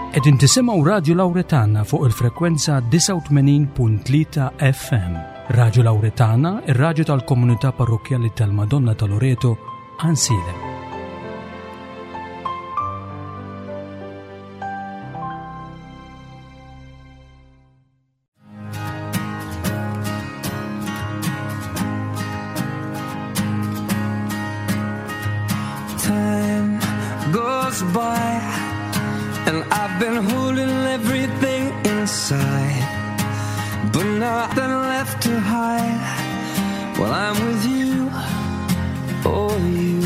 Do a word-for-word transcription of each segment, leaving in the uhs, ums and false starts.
Qegħdin tisimgħu Radio Lauretana fuq il-frekwenza disgħa u tmenin punt tlieta F M. Radio Lauretana, ir-raġu tal-komunità parrokjali tal-Madonna ta' Loreto, Għajnsielem. Time goes by and I've been holding everything inside, but nothing left to hide. Well, I'm with you, oh you.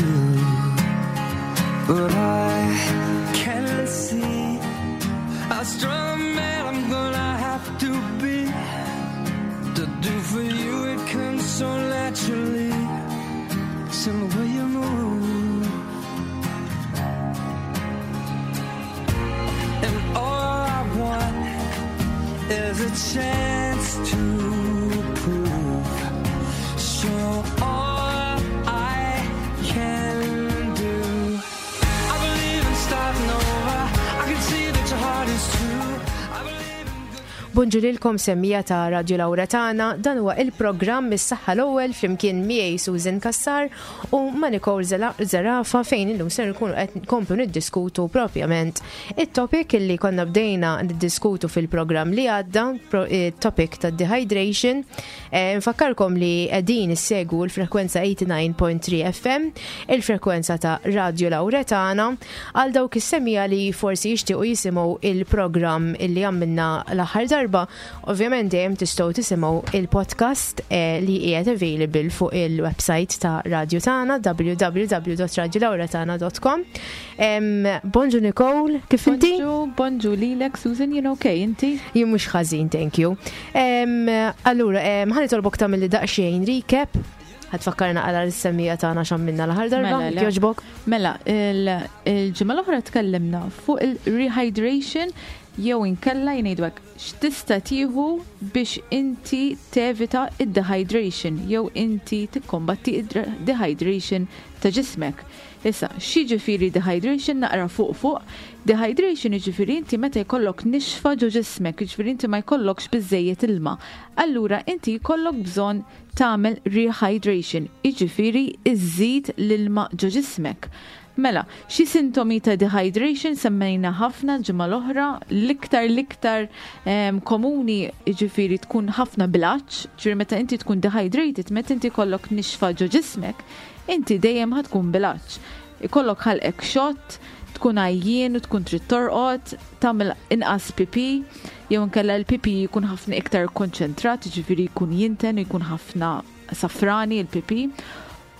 But I can see how strong a man I'm gonna have to be to do for you. It comes so naturally. It's in the way you move. And all I want is a chance to prove. Show all I can do. I believe in starting over. I can see that your heart is true. I believe in good. Bonġu lilkom, semmiegħa ta' Radio Lauretana, dan huwa il-programm Is-Saħħa l-Ewwel flimkien miegħi Susan Kassar u ma' Nicole Zela- Zerafa, fejn illum ser nkunu qed nkomplu niddiskutu propjament it-topic illi konna bdejna niddiskutu fil-programm li għadda, pro- it-topic ta' dehydration. Eh, Nfakkarkom li qegħdin issegwu l-frekwenza tmienja u disgħin punt tlieta F M, il-frekwenza ta' Radio Lauretana, għal dawk is-semmiegħa li forsi jixtiequ jisimgħu il-programm illi għamilna l-aħħar darba, ovvjament dejjem tistgħu tisimgħu il-podcast eh, li qiegħed available fuq il-website ta' Radio tagħna, w w w punt radiolauretana punt com. Em, Bonġu Nicole, kif inti? Bonġu, bonġu lilek, Susan, jien okay, inti? Jien mhux ħażin, thank you. Em, Allura, em, ħa nitolbok tagħmel li daqsxejn recap. Ħa tfakkarna għal is-semmiegħa tagħna x'għamilna l-aħħar darba, Mela, le. jogħġbok? Mela, il- il-ġimgħa l-oħra tkellimna fuq il-rehydration jew inkella jgħidu hekk x'tista' tieħu biex inti tevita id-dehydration jew inti tikkombatti id-dehydration ta' ġismek. Issa, x'jiġifieri dehydration naqra fuq fuq? Dehydration jiġifieri inti meta jkollok nixfa ġo ġismek, jiġifieri inti ma jkollokx biżejjed ilma. Allura inti jkollok bżonn tagħmel rehydration, jiġifieri iżżid l-ilma ġo ġismek. Mela, xi sintomi ta' dehydration semmejna ħafna ġimgħa l-oħra, l-iktar l-iktar em, komuni jiġifieri tkun ħafna bil-għatx, ġifieri meta inti tkun dehydrated, meta inti kollok nixfa ġo ġismek, inti dejjem ħa tkun bil-għatx. Ikollok ħalqek xott, tkun għajjien u tkun trid torqod, tagħmel inqas pipi, jew inkella l-pipi jkun ħafna iktar konċentrat, jiġifieri jkun jinten u jkun ħafna safrani l-pipi.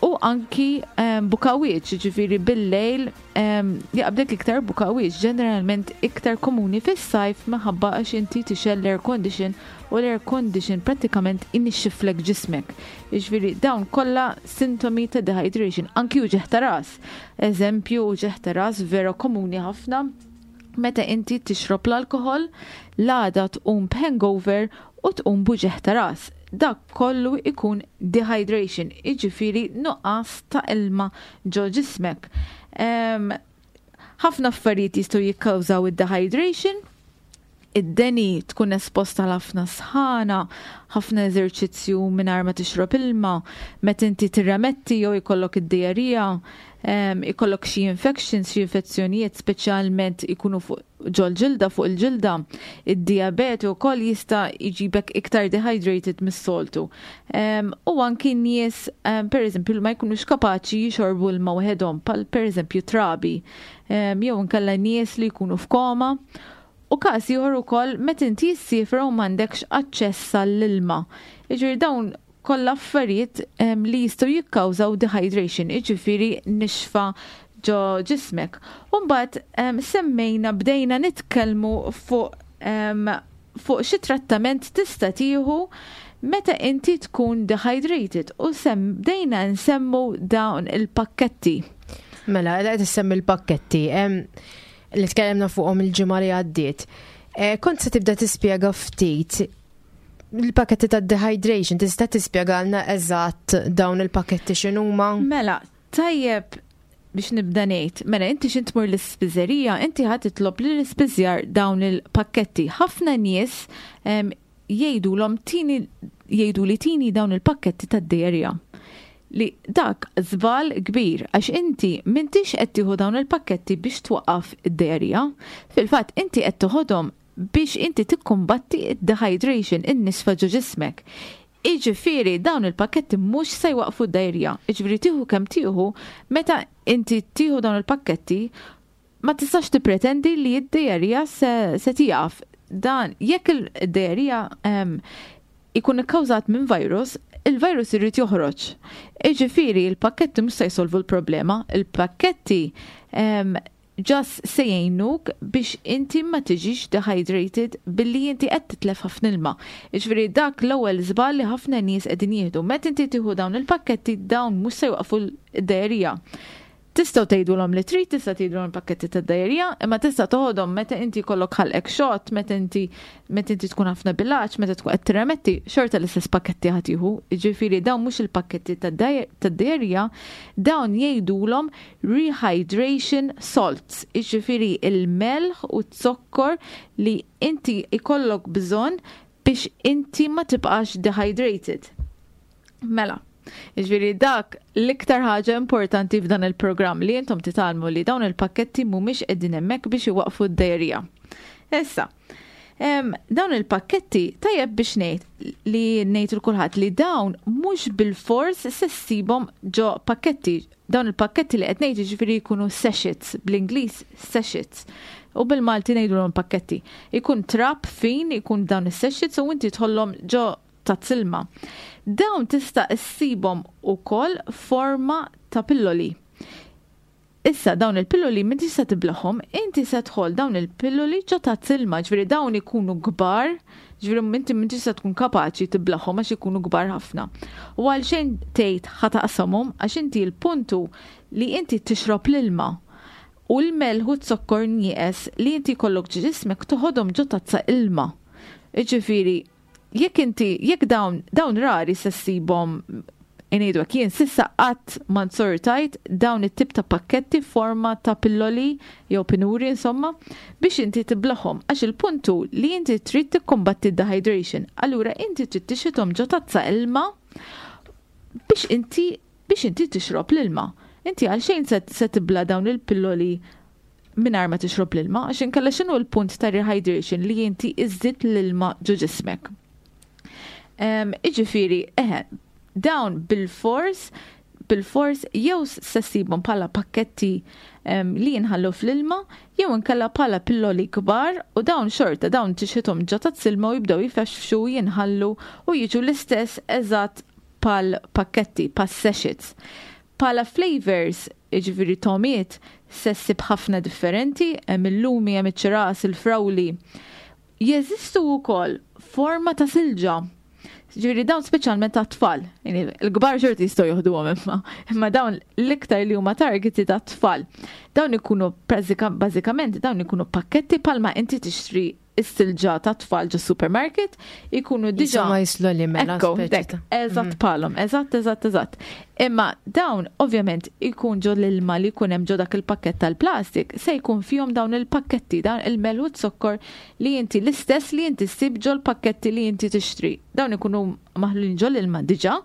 U anki um, bukawieċ, ġifiri bil-lejl um, jaqbdek iktar bukawieċ, ġeneralment iktar komuni fis-sajf minħabba għax inti tixgħel l-air condition u l-air condition prattikament inixxiflek ġismek. Ġifiri dawn kollha sintomi ta' dehydration, anki uġigħ ta' ras. Eżempju, uġigħ ta' ras vera komuni ħafna meta inti tixrob l-alkohol, l-għada tqum b'hangover u tqum b'uġigħ ta' ras. Dak kollu ikun dehydration, iġifiri nuqqas ta' ilma ġo ġismek. Em, Ħafna affarijiet jistgħu jikkawżaw id-dehydration, id-deni tkun esposta għal ħafna sħana, ħafna eżerċizzju mingħajr ma tixrob ilma, meta inti tirremetti jew ikollok id-diarrhea, em, ikollok xi infections, xi infezzjonijiet, speċjalment ikunu fuq ġol-ġilda, fuq il-ġilda, id-diabete wkoll jista' jġibek iktar dehydrated mis-soltu. Em, U anki nies, em, per eżempju, ma jkunux kapaċi jixorbu l-ma waħedhom, pal per eżempju trabi, em, jew inkella nies li jkunu f'koma. U każ ieħor ukoll meta inti ssiefer u m'għandekx aċċess għall-ilma. Jiġifieri dawn kollha affarijiet em, li jistgħu jikkawżaw dehydration, jiġifieri nixfa ġo ġismek. U mbagħad em, semmejna, bdejna nitkellmu fuq em, fuq xi trattament tista' tieħu meta inti tkun dehydrated u sem bdejna nsemmu dawn il-pakketti. Mela, qed issemmi il-pakketti em, li tkellimna fuqhom il-ġimgħa li għaddiet. Eh, Kont se tibda tispjega ftit il-pakketti ta' dehydration, tista' tispjegalna eżatt dawn il-pakketti x'inhuma? Mela, tajjeb Biex nibda ngħid, mela inti x'int tmur l-ispiżerija, inti ħa titlob li l-ispiżjar dawn il-pakketti. Ħafna nies jgħidulhom tini, jgħidu li tini dawn il-pakketti tad-diarrhea. Li dak żball kbir, għax inti m'intix qed tieħu dawn il-pakketti biex twaqqaf id-diarrhea. Fil-fatt inti qed toħodhom biex inti tikkumbatti id-dehydration, in-nisfa ġo ġismek. Iġifieri dawn il-pakketti mhux se jwaqfu d-diarrhea. Iġifieri tieħu kemm tieħu, meta inti tieħu dawn il-pakketti ma tistax tippretendi li d-diarrhea se, se tieqaf. Dan jekk il-diarrhea um, ikun ikkawżat minn virus, il-virus irid joħroġ. Iġifieri il-pakketti mhux se jsolvu l-problema, il-pakketti um, just se jgħinuk biex inti ma tiġix dehydrated billi inti qed titlef ħafna ilma. Jiġifieri dak l-ewwel żball li ħafna nies qegħdin jieħdu. Meta inti tieħu dawn il-pakketti, dawn mhux se jwaqfu d-diarrhea. Tistgħu tgħidulhom li trid, tista' tgħidulhom pakketti tad-diarrhea, imma tista' toħodhom meta inti jkollok ħalqek xott, meta inti meta inti tkun ħafna bil-għatx, meta tkun qed tirremetti, xorta l-istess pakketti ħa tieħu. Jiġifieri dawn mhux il-pakketti tad-diarrhea, dawn jgħidulhom rehydration salts, jiġifieri il-melħ u z-zokkor li inti ikollok bżonn biex inti ma tibqax dehydrated. Mela, jiġifieri dak l-iktar ħaġa importanti f'dan il-programm, li intom titgħallmu li dawn il-pakketti mhumiex qegħdin hemmhekk biex iwaqfu d-diarrhea. Issa, em, dawn il-pakketti, tajjeb biex ngħid li ngħid lil kulħadd li dawn mhux bil-fors se ssibhom ġo pakketti. Dawn il-pakketti li qed ngħid, jiġifieri jkunu sachets, bl-Ingliż sachets. U bil-Malti ngħidulhom pakketti. Ikun trab fin, ikun dawn is-sachets u inti tħollhom ġo tazza ilma. Dawn tista' issibhom ukoll forma ta' pilloli. Issa dawn il-pilloli m'intix se tiblagħhom, inti se tħoll dawn il-pilloli ġo tazza ilma, ġifieri dawn ikunu kbar, ġifieri inti m'intix se tkun kapaċi tiblagħhom għax ikunu kbar ħafna. U għalxejn tgħid ħa taqsamhom, għax inti l-puntu li inti tixrob l-ilma u l-melħ u z-zokkor nieqes li inti jkollok ġismek toħodhom ġo tazza ilma. Ġifieri, jekk inti, jekk dawn, dawn rari se ssibhom, ngħidu jien s'issa qatt ma nsortajt dawn it-tip ta' pakketti forma ta' pilloli jew pinuri insomma biex inti tiblagħhom, għax il-puntu li inti trid tikkombatti dehydration. Allura inti trid tixrobhom ġo tazza ilma biex inti biex inti tixrob l-ilma. Inti għalxejn se, se tibla' dawn il-pilloli mingħajr ma tixrob l-ilma, għax inkella x'inhu l-punt ta' rehydration li inti iżżid l-ilma ġo ġismek? Um, Iġifieri, eħe, dawn bil-fors, bil-fors jew se ssibhom bħala pakketti um, li jinħallu fl-ilma, jew inkella bħala pilloli kbar, u dawn xorta, dawn tixħithom ġo tazza ilma u jibdew jifexxu, jinħallu u jiġu l-istess eżatt bħal pakketti, bħal sachets. Bħala flavors, jiġifieri togħmiet, se ssib ħafna differenti, hemm il-lumi, hemm iċ-ċiras, il-frawli. Jeżistu wkoll forma ta' silġa. Ġifieri dawn speċjalment ta' tfal. Il-kbar xorta jistgħu joħduhom, imma imma dawn l-iktar li huma targeted ta' tfal. Dawn ikunu bażikament dawn ikunu pakketti bħalma inti tixtri is-silġa ta' tfal ġo supermarket, ikunu diġà Ma jislu li mela. Ekku, dek, eżatt mhm. bħalhom, eżatt, eżatt, eżatt. Imma dawn ovvjament ikun ġo l-ilma li jkun hemm ġo dak il-pakket tal-plastik, se jkun fihom dawn il-pakketti, dawn il-melħ u zokkor li inti l-istess li inti ssib ġo l-pakketti li inti tixtri. Dawn ikunu maħlulin ġo l-ilma diġà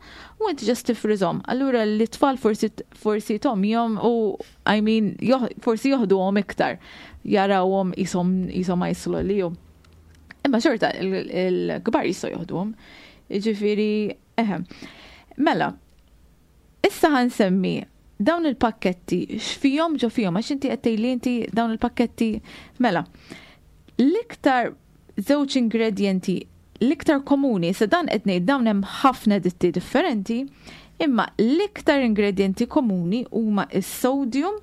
u inti just tifriżhom. Allura l-tfal forsi forsi togħmihom u, I mean, forsi joħduhom iktar, jarawhom qishom qishom ice lolly. Imma xorta il-kbar jistgħu joħduhom. Ġifieri, eħe. Mela, issa ħa nsemmi dawn il-pakketti x'fihom ġo fihom, għax inti qed tgħidli inti dawn il-pakketti. Mela, l-iktar żewġ ingredienti l-iktar komuni, se dan qed ngħid, dawn hemm ħafna ditti differenti, imma l-iktar ingredienti komuni huma is-sodium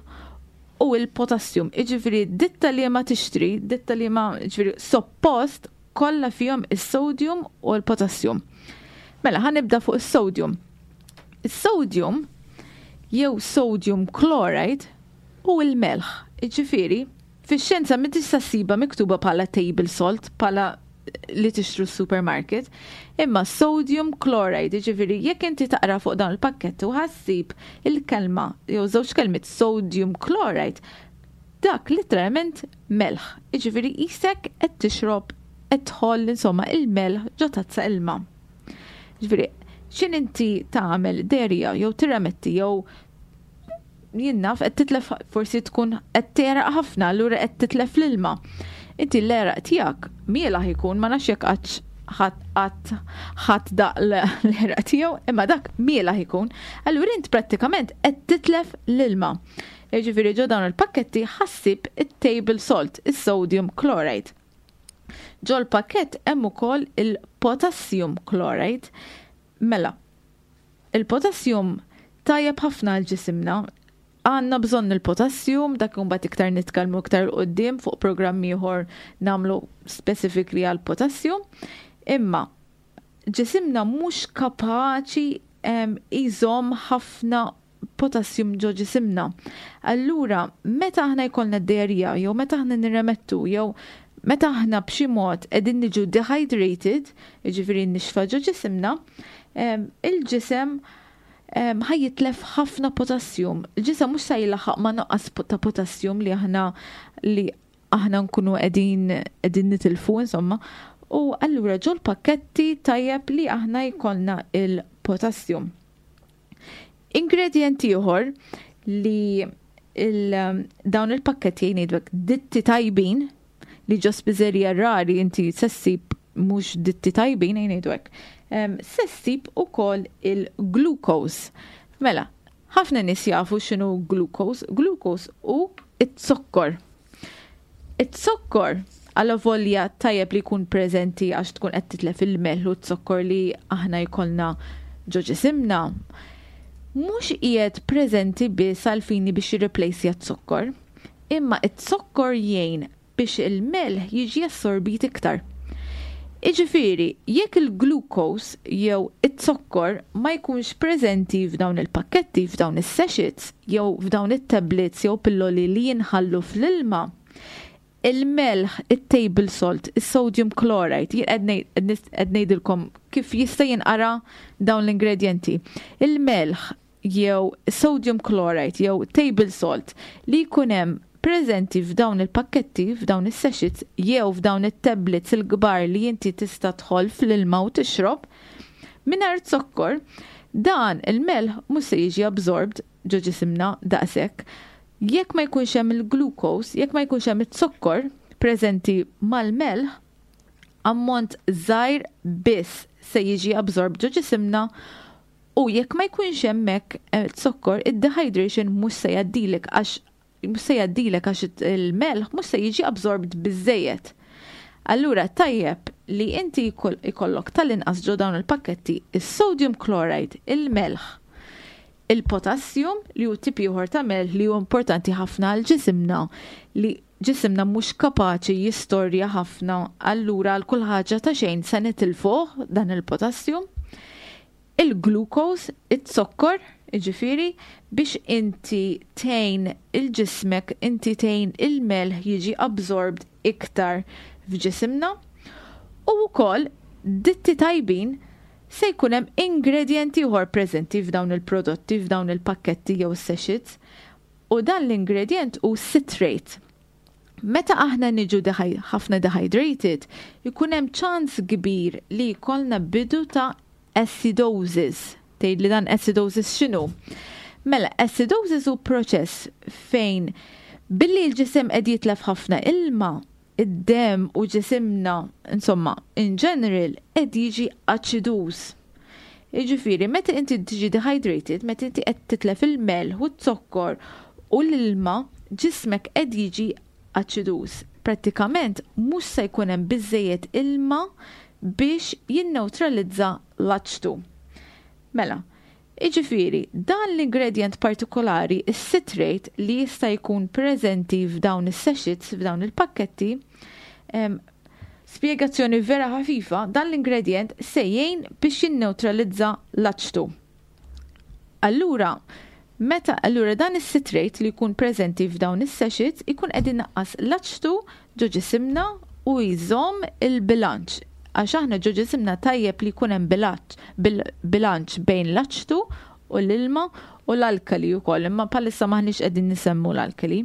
u il-potassium. Iġifieri ditta li ma tixtri, ditta li ma, ġifieri suppost kollha fihom is-sodium u l-potassium. Mela, ħa nibda fuq is-sodium. Is-sodium jew sodium chloride u il-melħ. Iġifieri, fix-xjenza m'intix ssibha miktuba bħala table salt, bħala li tixtru s-supermarket, imma sodium chloride, ġifieri jekk inti taqra fuq dawn il-pakketti u ħa ssib il-kelma jew żewġ kelmiet sodium chloride, dak literalment melħ. Ġifieri qisek qed tixrob, qed tħoll insomma il-melħ ġo tazza ilma. Ġifieri, x'ħin inti tagħmel diarrhea jew tirremetti jew jien naf qed titlef, forsi tkun qed tegħraq ħafna, allura qed titlef l-ilma. Inti l-għeraq tiegħek mielaħ ikun, ma nafx jekk qatt ħadd ħadd daq l-għeraq tiegħu, imma dak mielaħ ikun. Allura int prattikament qed titlef l-ilma. Jiġifieri ġo dawn il-pakketti ħa ssib it-table salt, is-sodium chloride. Ġo l-pakket hemm ukoll il-potassium chloride. Mela, il-potassium tajjeb ħafna għal ġisimna. Għandna bżonn il-potassium, dak mbagħad iktar nitkellmu iktar 'il quddiem fuq programm ieħor nagħmlu specifically għal potassium. Imma ġisimna mhux kapaċi iżomm ħafna potassium ġo ġisimna. Allura, meta aħna jkollna d-diarrhea, jew meta aħna nirremettu, jew meta aħna b'xi mod qegħdin niġu dehydrated, jiġifieri nixfa ġo ġisimna, il-ġisem ħa jitlef ħafna potassium. Il-ġisem mhux se jilaħaq ma' nuqqas ta' potassium li aħna li aħna nkunu qegħdin qegħdin nitilfu insomma. U allura ġol pakketti tajjeb li aħna jkollna il-potassium. Ingredient ieħor li il, dawn il-pakketti, jgħidlek ditti tajbin, li ġo spiżerija rari inti se ssib mhux ditti tajbin, jgħidlek. Se ssib ukoll il-glucose. Mela, ħafna nies jafu x'inhu glucose. Glucose hu it-zokkor. It-zokkor għalla volja tajjeb li jkun preżenti għax tkun qed titlef il-melħ u t-zokkor li aħna jkollna ġo ġisimna. Mhux qiegħed preżenti biss għal fini biex jirreplejsja t-zokkor, imma it-zokkor jgħin biex il-melħ jiġi assorbit iktar. Iġifieri, jekk il-glucose jew it-zokkor ma jkunx preżenti f'dawn il-pakketti, f'dawn is-sachets, jew f'dawn it-tablets jew pilloli li jinħallu fl-ilma, il-melħ, it-table salt, il-sodium chloride, jien qed ngħidilkom kif jista' jinqara dawn l-ingredienti. Il-melħ jew sodium chloride jew table salt li jkun hemm preżenti f'dawn il-pakketti, f'dawn is-sachets jew f'dawn it-tablets il-kbar li inti tista' tħoll fl-ilma u tixrob, mingħajr zokkor, dan il-melħ mhux se jiġi absorbed ġo ġisimna daqshekk. Jekk ma jkunx hemm il-glucose, jekk ma jkunx hemm it-zokkor preżenti mal-melħ, ammont żgħir biss se jiġi absorbed ġo ġisimna u jekk ma jkunx hemmhekk zokkor, id-dehydration mhux se jgħaddilek għax mhux se jgħaddilek għax il-melħ mhux se jiġi absorbed biżejjed. Allura tajjeb li inti ikollok tal-inqas ġo dawn il-pakketti is-sodium chloride, il-melħ, il-potassium li hu tip ieħor ta' melħ li hu importanti ħafna għal ġisimna, li ġisimna mhux kapaċi jistorja ħafna, allura għal kull ħaġa ta' xejn se nitilfuh dan il-potassium. Il-glucose, it-zokkor, jiġifieri, biex inti tgħin il-ġismek, inti tgħin il-melħ jiġi absorbed iktar f'ġisimna. U wkoll ditti tajbin se jkun hemm ingredienti ieħor preżenti f'dawn il-prodotti, f'dawn il-pakketti jew sachets, u dan l-ingredient hu citrate. Meta aħna niġu ħafna dehydrated, ikun hemm ċans kbir li jkollna bidu ta' acidosis. Tgħid li dan acidosis x'inhu? Mela, acidosis hu proċess fejn billi l-ġisem qed jitlef ħafna ilma, id-dem u ġisimna, insomma, in general, qed jiġi aċiduż. Jiġifieri, meta inti tiġi dehydrated, meta inti qed titlef il-melħ u z-zokkor u l-ilma, ġismek qed jiġi aċiduż. Prattikament mhux se jkun hemm biżejjed ilma biex jinneutralizza l-aċtu. Mela, jiġifieri, dan l-ingredient partikolari, is-citrate, li jista' jkun preżenti f'dawn is-sachets, f'dawn il-pakketti, spjegazzjoni vera ħafifa, dan l-ingredient se jgħin biex jinneutralizza l-aċtu. Allura, meta allura dan is-citrate li jkun preżenti f'dawn is-sachets ikun qed inaqqas l-aċtu ġo ġisimna. u jżomm il-bilanċ. Għax aħna ġo ġisimna tajjeb li jkun hemm bilanċ bejn l-aċtu u l-ilma u l-alkali wkoll, imma bħalissa maħniex qegħdin nisemmu l-alkali.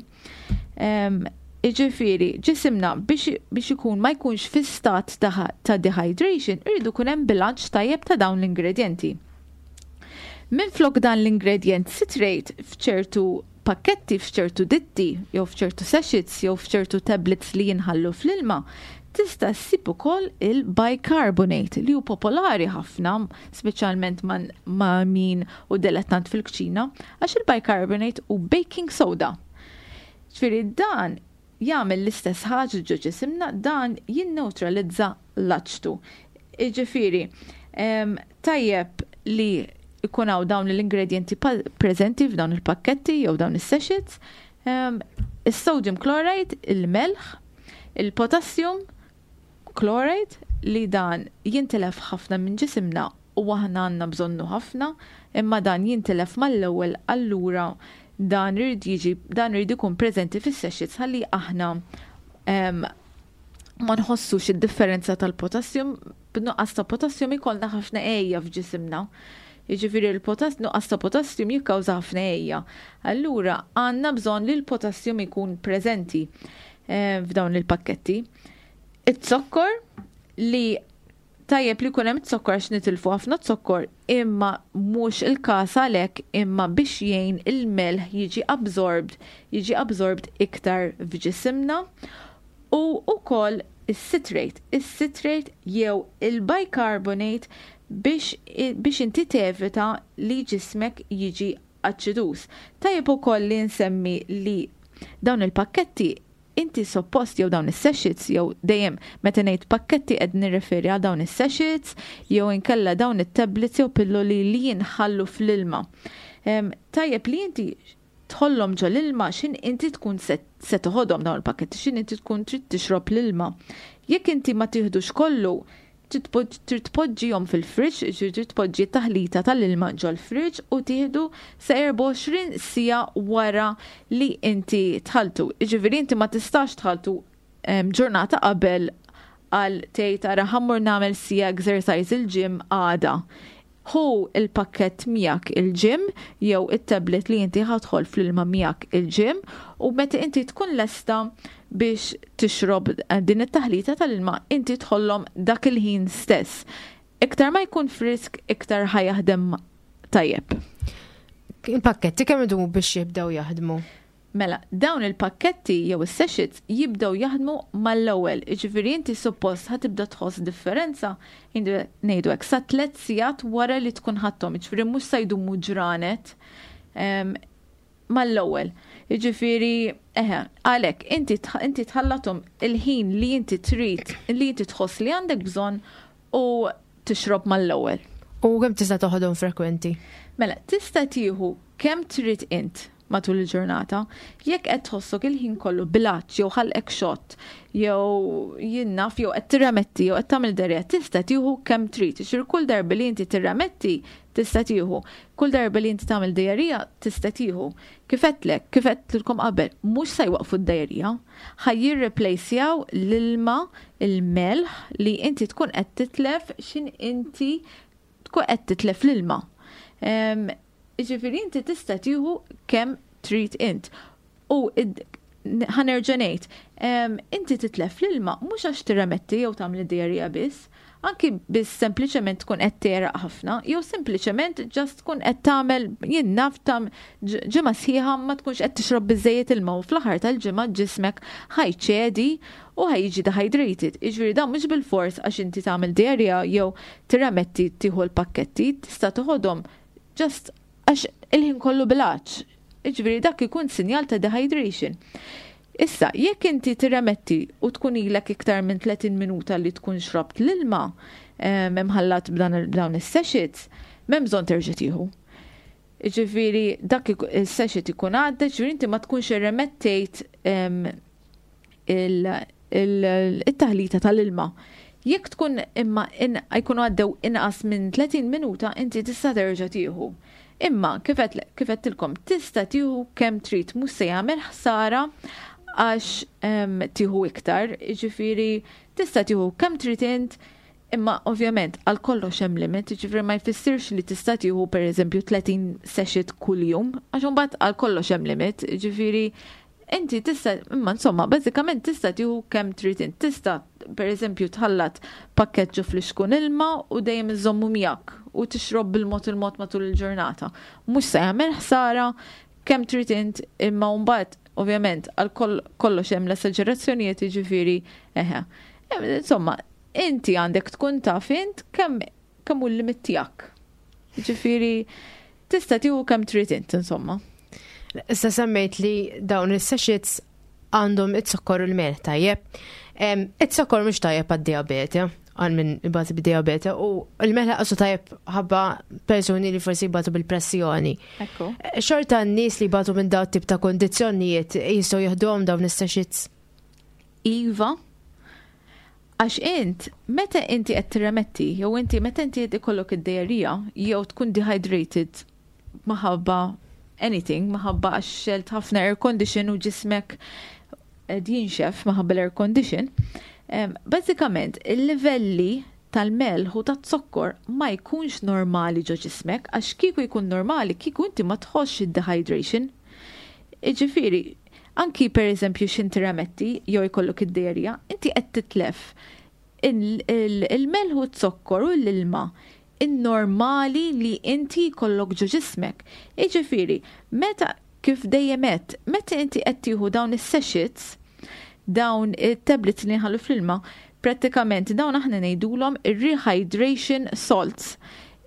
Iġifieri, ġisimna biex, biex ikun ma jkunx fi stat ta', ta dehydration, irridu kun hemm bilanċ tajjeb ta' dawn l-ingredienti. Minflok dan l-ingredient citrate f'ċertu pakketti, f'ċertu ditti, jew f'ċertu sachets, jew f'ċertu tablets li jinħallu fl-ilma, tista' ssib ukoll il-bicarbonate li hu popolari ħafna, speċjalment ma' min hu dilettant fil-kċina, għax il-bicarbonate hu baking soda. Ġifieri dan jagħmel l-istess ħaġa ġo ġisimna, dan jinneutralizza l-aċtu. Iġifieri, tajjeb li ikun hawn dawn l-ingredienti preżenti f'dawn il-pakketti jew dawn is-sachets, is-sodium chloride, il-melħ, il-potassium chloride li dan jintilef ħafna minn ġisimna u aħna għandna bżonnu ħafna, imma dan jintilef mal-ewwel, allura dan irid jiġi dan irid ikun preżenti fis-sachets ħalli aħna ma nħossux id-differenza tal-potassium. B'nuqqas ta' potassium ikollna ħafna għeja f'ġisimna. Jiġifieri l-potass nuqqas ta' potassium jikkawża ħafna għeja. Allura għandna bżonn li l-potassium ikun preżenti f'dawn il-pakketti. It-zokkor, li tajjeb li jkun hemm zokkor għax nitilfu ħafna zokkor, imma mhux il-każ għalhekk, imma biex jgħin il-melħ jiġi absorbed, jiġi absorbed iktar f'ġisimna, u wkoll is-citrate, is-citrate jew il-bicarbonate biex, biex inti tevita li ġismek jiġi aċiduż. Tajjeb ukoll li nsemmi li dawn il-pakketti inti suppost, jew dawn is-sachets, jew dejjem meta ngħid pakketti qed nirreferi għal dawn is-sachets jew inkella dawn it-tablets jew pilloli li jinħallu fl-ilma. Tajjeb li inti tħollhom ġo l-ilma x'ħin inti tkun se, se toħodhom dawn il-pakketti, x'ħin inti tkun trid tixrob l-ilma. Jekk inti ma tieħdux kollu, trid tpoġġihom fil-fridge, trid tpoġġi taħlita tal-ilma ġol-fridge u tieħdu sa erbgħa u għoxrin siegħa wara li inti tħalltu. Jiġifieri inti ma tistax tħalltu ġurnata qabel għal tgħid, "Ara, ħa mmur nagħmel siegħa exercise il-gym għada." Ħu il-pakket miegħek il-gym jew it-tablet li inti ħa tħoll fl-ilma miegħek il-gym u meta inti tkun lesta biex tixrob din it-taħlita tal-ilma, inti tħollhom dak il-ħin stess. Iktar ma jkun frisk, iktar ħa jaħdem tajjeb. Il-pakketti kemm idumu biex jibdew jaħdmu? Mela, dawn il-pakketti jew is-sachets jibdew jaħdmu mal-ewwel. Jiġifieri inti suppost ħa tibda tħoss differenza, ngħidu hekk, sa tliet sigħat wara li tkun ħadthom. Jiġifieri mhux se jdumu ġranet, mal-ewwel. Jiġifieri, eħe, għalhekk inti inti tħallathom il-ħin li inti trid, li inti tħoss li għandek bżonn u tixrob mal-ewwel. U kemm tista' toħodhom frekwenti? Mela, tista' tieħu kemm trid int matul il-ġurnata. Jekk qed tħossok il-ħin kollu bil-għatx jew ħalqek xott jew jien naf jew qed tirremetti jew qed tagħmel diarrhea, tista' tieħu kemm trid. Xir kull darba li inti tirremetti tista' tieħu. Kull darba li inti tagħmel diarrhea tista' tieħu. Kif għedtlek, kif għedtilkom qabel, mhux se jwaqfu d-diarrhea, ħa jirreplacjaw l-ilma, il-melħ li inti tkun qed titlef x'ħin inti tkun qed titlef l-ilma. Jiġifieri inti tista' tieħu kemm trid int. U ħa nerġa' ngħid, inti titlef l-ilma mhux għax tirremetti jew tagħmel diarrhea biss, anki biss sempliċement tkun qed tegħraq ħafna, jew sempliċement just tkun qed tagħmel, jien naf, tam ġimgħa sħiħa ma tkunx qed tixrob biżejjed ilma u fl-aħħar tal-ġimgħa ġismek ħa jċedi u ħa jiġi dehydrated. Jiġifieri dan mhux bil-fors għax inti tagħmel diarrhea jew tirremetti tieħu l-pakketti, tista' toħodhom just għax il-ħin kollu bil-għatx. Jiġifieri dak ikun sinjal ta' dehydration. Issa, jekk inti tirremetti u tkun ilek iktar minn tletin minuta li tkun xrobt l-ilma imħallat b'dawn is-sachets, m'hemm bżonn terġa' tieħu. Jiġifieri dak is-sachet ikun għadda, ġifieri inti ma tkunx irremettejt il-taħlita tal-ilma. Jekk tkun imma jkunu għaddew inqas minn tletin minuta, inti tista' terġa' tieħu. Imma kif għedtilkom, tista' tieħu kemm trid, mhux se jagħmel ħsara. Għax tieħu iktar, ġifieri tista' tieħu kemm trid int, imma ovvjament għal kollox hemm limit, ġifieri ma jfissirx li tista' tieħu, pereżempju, tletin sachet kuljum, għax imbagħad għal kollox hemm limit, ġifieri inti tista', imma insomma, bażikament tista' tieħu kemm trid int. Tista' pereżempju tħallat pakkett ġo flixkun ilma u dejjem iżommu miegħek u tixrob bil-mod il-mod matul il-ġurnata. Mhux se jagħmel ħsara, kemm trid int, imma mbagħad ovvjament għal kollox hemm l-esaġerazzjonijiet, ġifieri eħe. Insomma, inti għandek tkun taf int kemm kemm hu l-limit tiegħek. Ġifieri tista' tieħu kemm trid int, insomma. Issa semmejt li dawn is-sachets għandhom it-sokkor u l-melħ, tajjeb. It-sokkor mhux tajjeb għad-diabete, għal min ibati bid-diabete, u l-melħ għasu tajjeb ħabba persuni li forsi jbatu bil-pressjoni. Xorta n-nies li jbatu minn dawn tip ta' kondizzjonijiet jistgħu jieħduhom dawn is-sachets? Iva, għax int, meta inti qed tirremetti, jew inti meta inti qed ikollok id-diarrhea, jew tkun dehydrated maħabba anything, maħabba għax xgħelt ħafna air condition u ġismek qed jinxef maħabba l-air condition, bażikament il-livelli tal-melħ u tat-zokkor ma jkunx normali ġo ġismek, għax kieku jkun normali, kieku inti ma tħossx id-dehydration. Ġifieri, anki per eżempju x'inti jew jkollok id-diarrhea, inti qed titlef il-melħ u t-zokkor u l-ilma in-normali li inti jkollok ġo ġismek. Iġifieri, meta, kif dejjem għedt, meta inti qed tieħu dawn is-sachets, dawn it-tablets li nħallu fl-ilma, prattikament dawn aħna ngħidulhom ir-rehydration salts.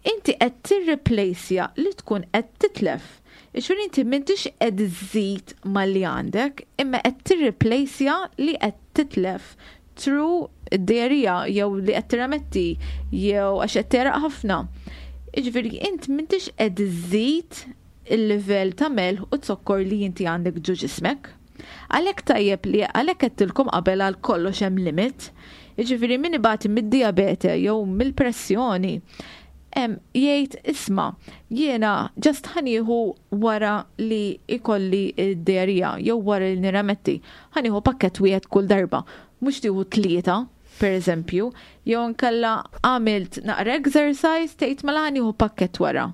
Inti qed tirreplaceja li tkun qed titlef. Ġifieri inti m'intix qed iżżid malli għandek, imma qed tirreplaceja li qed titlef through id-diarrhea jew li qed tirremetti jew għax qed tegħraq ħafna. Ġifieri int m'intix qed iżżid il-livell ta' melħ u zokkor li inti għandek ġo ġismek. Għalhekk tajjeb li għalhekk għedtilkom qabel għal kollox hemm limit. Jiġifieri min ibati mid-diabete jew mill-pressjoni jgħid, "Isma', jiena just ħa nieħu wara li ikolli id-diarrhea jew wara li nirremetti, ħa nieħu pakket wieħed kull darba, mhux tieħu tlieta per eżempju, jew nkella għamilt naqra exercise, tgħid, 'Mela ħa nieħu pakket wara.'"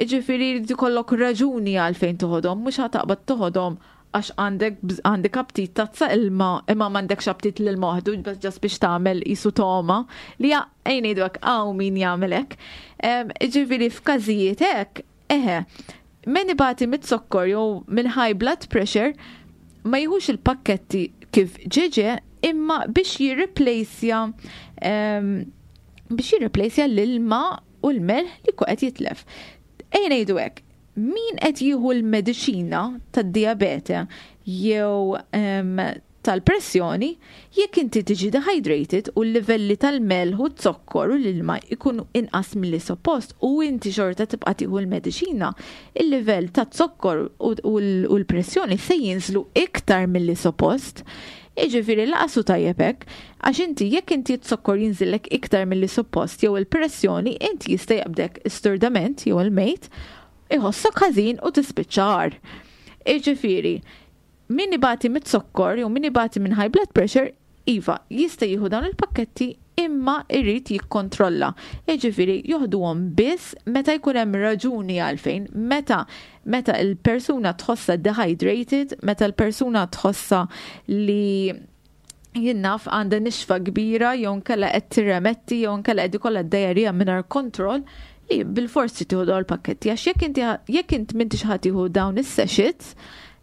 Iġifieri li jkollok raġuni għalfejn toħodhom, mhux ħa taqbad toħodhom għax għandek għandek aptit tazza ilma imma m'għandekx aptit l-ilma waħdu, just biex tagħmel qisu togħma li ejja ngħidu hekk hawn min jagħmel hekk. Ġifieri f'każijiet hekk, eħe, min ibati mit-zokkor jew minn high blood pressure ma jieħux il-pakketti kif ġeġe, imma biex jirreplaceja biex jirreplaceja l-ilma u l-melħ li qed jitlef. Ejja ngħidu hekk, min qed jieħu l-mediċina tad-diabete jew tal-pressjoni, jekk inti tiġi dehydrated u l-livelli tal-melħ u z-zokkor u l-ilma ikunu inqas milli suppost u inti xorta tibqa' tieħu l-mediċina, il-livell ta' zokkor u l-pressjoni se jinżlu iktar milli suppost. Iġifieri lanqas hu tajjeb hekk, għax inti jekk inti t-zokkor jinżillek iktar milli suppost jew il-pressjoni, inti jista' jaqbdek isturdament jew il-mejt, iħossok ħażin u tispiċċa agħar. Iġifieri, min ibati mit-zokkor jew min ibati minn high blood pressure, iva, jista' jieħu dawn il-pakketti, imma irrid jikkontrolla. Jiġifieri joħduhom biss meta jkun hemm raġuni għalfejn, meta meta il-persuna tħossa dehydrated, meta l-persuna tħossa li jien naf għandha nixfa kbira jew nkella qed tirremetti jew nkella qed ikollha diarrhea mingħajr kontroll, li bil-forsi tieħu dawn il-pakketti, għax jekk inti jekk int m'intix ħa tieħu dawn is-sachets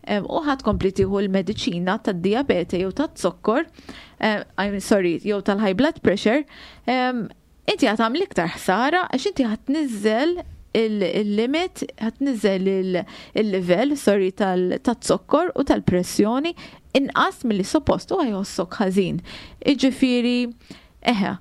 u ħa tkompli tieħu l-mediċina tad-diabete jew tat-zokkor, I'm sorry, jew tal-high blood pressure, inti ħa tagħmel iktar ħsara għax inti ħa tniżżel il-limit, ħa tniżżel il-level, sorry, tal-zokkor u tal-pressjoni inqas milli suppost u ħa jħossok ħażin. Iġifieri, eħe,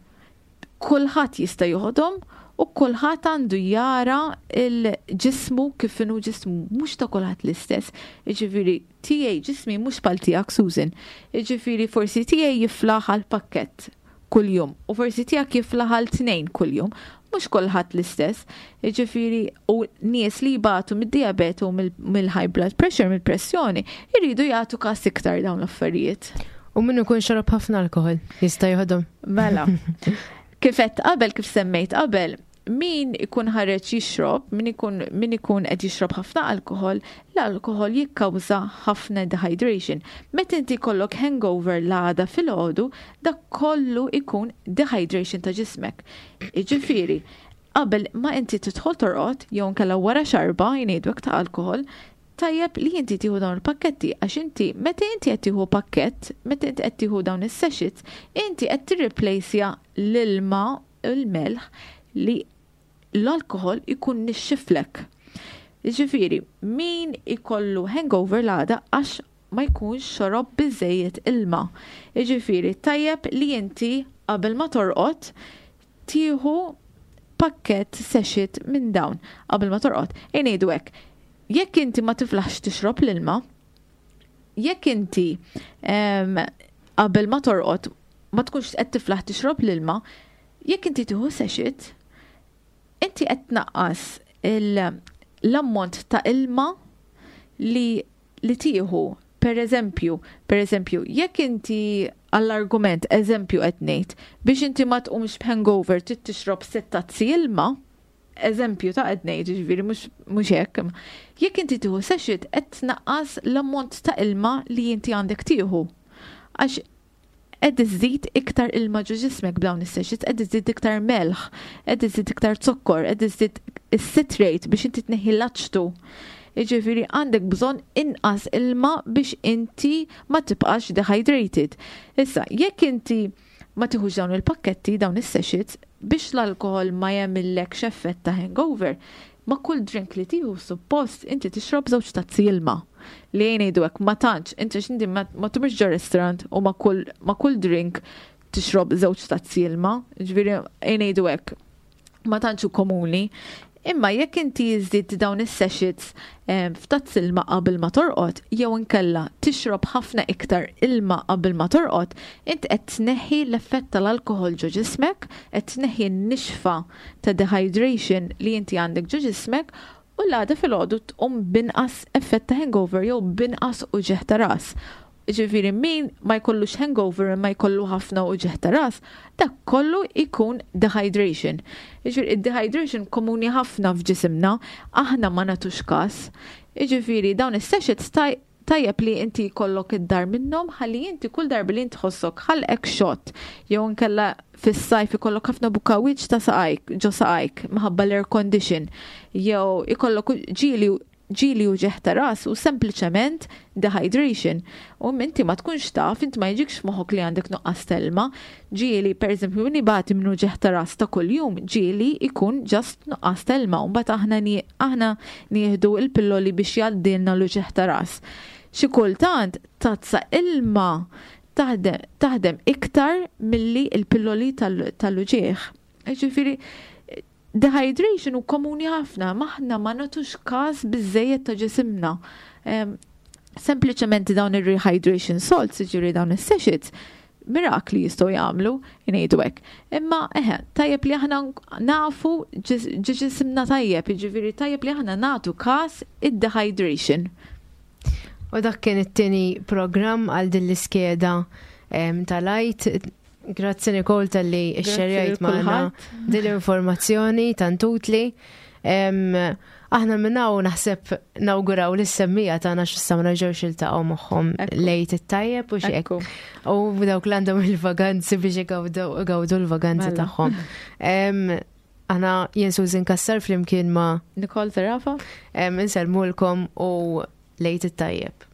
kulħadd jista' joħodhom u kulħadd għandu jara il-ġismu kif inhu ġismu, mhux ta' kulħadd l-istess. Jiġifieri tiegħi ġismi mhux bħal tiegħek, Susan. Jiġifieri forsi tiegħi jiflaħ għal pakkett kuljum. kuljum u forsi tiegħek jiflaħ għal tnejn kuljum. Mhux kulħadd l-istess. Jiġifieri u nies li jbatu mid-diabete u mill-high blood pressure, mill-pressjoni, jridu jagħtu każ iktar dawn l-affarijiet. U min ikun xorob ħafna alkohol jista' joħodhom? Mela. Kif qed qabel, kif semmejt qabel, min ikun ħareġ jixrob, min ikun min ikun qed jixrob ħafna alkohol, l-alkohol jikkawża ħafna dehydration. Meta inti jkollok hangover l-għada filgħodu, dak kollu ikun dehydration ta' ġismek. Jiġifieri, qabel ma inti tidħol torqod jew inkella wara xarba jngħidu ta' alkohol, tajjeb li inti tieħu dawn il-pakketti għax inti meta inti qed tieħu pakkett, meta inti qed tieħu dawn is-sachets, inti qed tirreplejsja l-ilma l-melħ li l-alkohol ikun nixxiflek. Jiġifieri, min ikollu hangover l-għada għax ma jkunx xorob biżejjed ilma. Jiġifieri, tajjeb li inti qabel ma torqod tieħu pakkett sachet minn dawn qabel ma torqod. Ngħidu hekk, jekk inti ma tiflaħx tixrob l-ilma, jekk inti qabel ma torqod ma tkunx qed tiflaħ tixrob l-ilma, jekk inti tieħu sachet, inti qed tnaqqas l-ammont ta' ilma li li tieħu. Per eżempju, per eżempju, jekk inti għall-argument, eżempju qed ngħid, biex inti ma tqumx b'hangover trid tixrob sitt tazzi ilma, eżempju ta' qed ngħid, jiġifieri mhux hekk. Jekk inti tieħu sachet qed tnaqqas l-ammont ta' ilma li inti għandek tieħu. Għax qed iżżid iktar ilma ġo ġismek b'dawn is-sachets, qed iżżid iktar melħ, qed iżżid iktar zokkor, qed iżżid is-citrate biex inti tneħħi l-aċtu. Jiġifieri għandek bżonn inqas ilma biex inti ma tibqax dehydrated. Issa, jekk inti ma tieħux dawn il-pakketti, dawn is-sachets, biex l-alkohol ma jagħmillekx effett ta' hangover, ma kull drink li tieħu suppost inti tixrob żewġ tazzi ilma. Li ngħidu hekk ma tantx, inti x'inti ma tmurx ġo restaurant u ma kull ma kull drink tixrob żewġ tazzi ilma, ġifieri ngħidu hekk ma tantx hu komuni. Imma jekk inti żżid dawn is-sachets f'tazz ilma qabel ma torqod, jew inkella tixrob ħafna iktar ilma qabel ma torqod, int qed tneħħi l-effett tal-alkohol ġo ġismek, qed tneħħi n-nixfa ta' dehydration li inti għandek ġo ġismek, u l-għada filgħodu tqum binqas effett ta' hangover jew binqas uġigħ ta' ras. Ġifieri min ma jkollux hangover ma jkollu ħafna uġigħ ta' ras, dak kollu ikun dehydration. Ġifieri id-dehydration komuni ħafna f'ġisimna, aħna ma nagħtux każ. Ġifieri dawn is-sachets tajjeb li inti jkollok id-dar minnhom ħalli inti kull darba li inti tħossok ħalqek xott jew inkella fis-sajf ikollok ħafna bukawiċ ta' saqajk ġo saqajk minħabba l-air condition jew ikollok ġieli ġieli uġigħ ta' ras u sempliċement dehydration. U inti ma tkunx taf, inti ma jiġikx f'moħħok li għandek nuqqas t'ilma. Ġieli, per eżempju, min ibati minn uġigħ ta' ras ta' kuljum, ġieli ikun just nuqqas t'ilma. U mbagħad aħna aħna nieħdu l-pilloli biex jgħaddilna l-uġigħ ta' ras. Xi kultant tazza ilma taħdem, taħdem iktar milli l-pilloli tal-uġigħ. Ġifieri, dehydration hu komuni ħafna, m'aħna ma nagħtux każ biżejjed ta' ġisimna. Sempliċement dawn ir-rehydration salts, ġifieri dawn is-sachets, mirakli jistgħu jagħmlu, ngħidu hekk. Imma eħe, tajjeb li aħna nafu ġisimna tajjeb, jiġifieri tajjeb li aħna nagħtu każ id-dehydration. U dak kien it-tieni programm għal din l-iskeda tal-Għid. Grazzi Nicole talli xxerjajt magħna din l-informazzjoni tant utli. Aħna minn hawn naħseb nawguraw lis-semmiegħa tagħna x'issa ma nerġgħux iltaqgħu magħhom l-Għid it-tajjeb u x'hekk. U dawk li għandhom il-vaganzi biex igawdu l-vaganzi tagħhom. Aħna jien Susan Kassar flimkien ma' Nicole Zerafa. Insellmulkom u l-Għid it-tajjeb.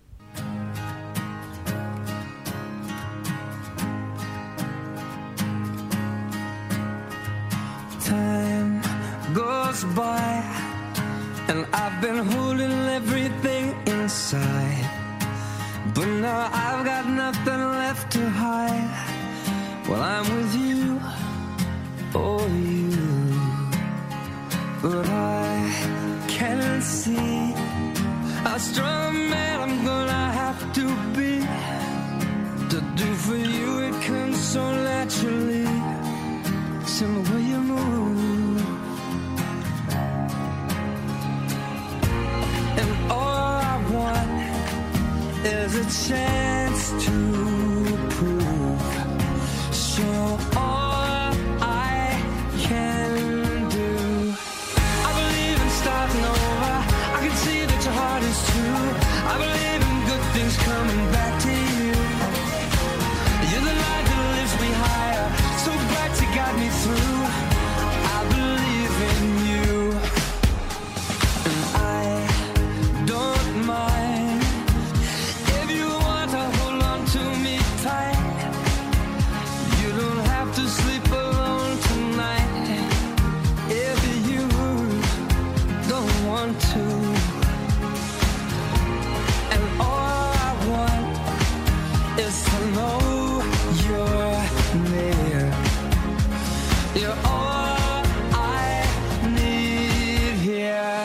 Time goes by and I've been holding everything inside, but now I've got nothing left to hide. Well, I'm with you, oh you, but I can see how strong a man I'm gonna have to be. To do for you it comes so naturally. a chance to prove. Show all I can do. I believe in starting over. I can see that your heart is true. I believe in good things coming back to you. You're the light that lifts me higher, so bright to guide me through. I believe in you, and I don't mind if you want to hold on to me tight. You don't have to sleep alone tonight if you don't want to. And all I want is to know you're near. You're all I need here.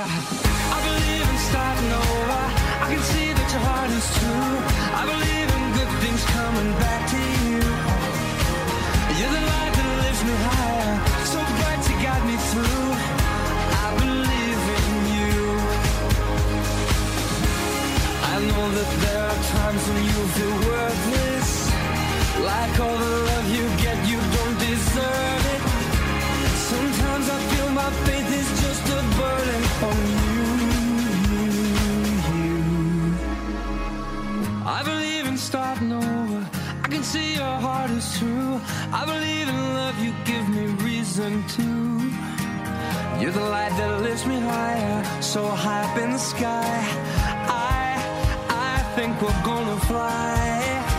I believe in starting over. I can see that your heart is true. I believe in good things coming back to you. You're the light that lifts me higher, so bright to guide me through. I believe in you. I know that there are times when you feel worthless, like all the love you get, you don't deserve it. Sometimes I feel my faith is just a burden on you, you, you. I believe in starting over. I can see your heart is true. I believe in love, you give me reason to. You're the light that lifts me higher, so high up in the sky. I, I think we're gonna fly.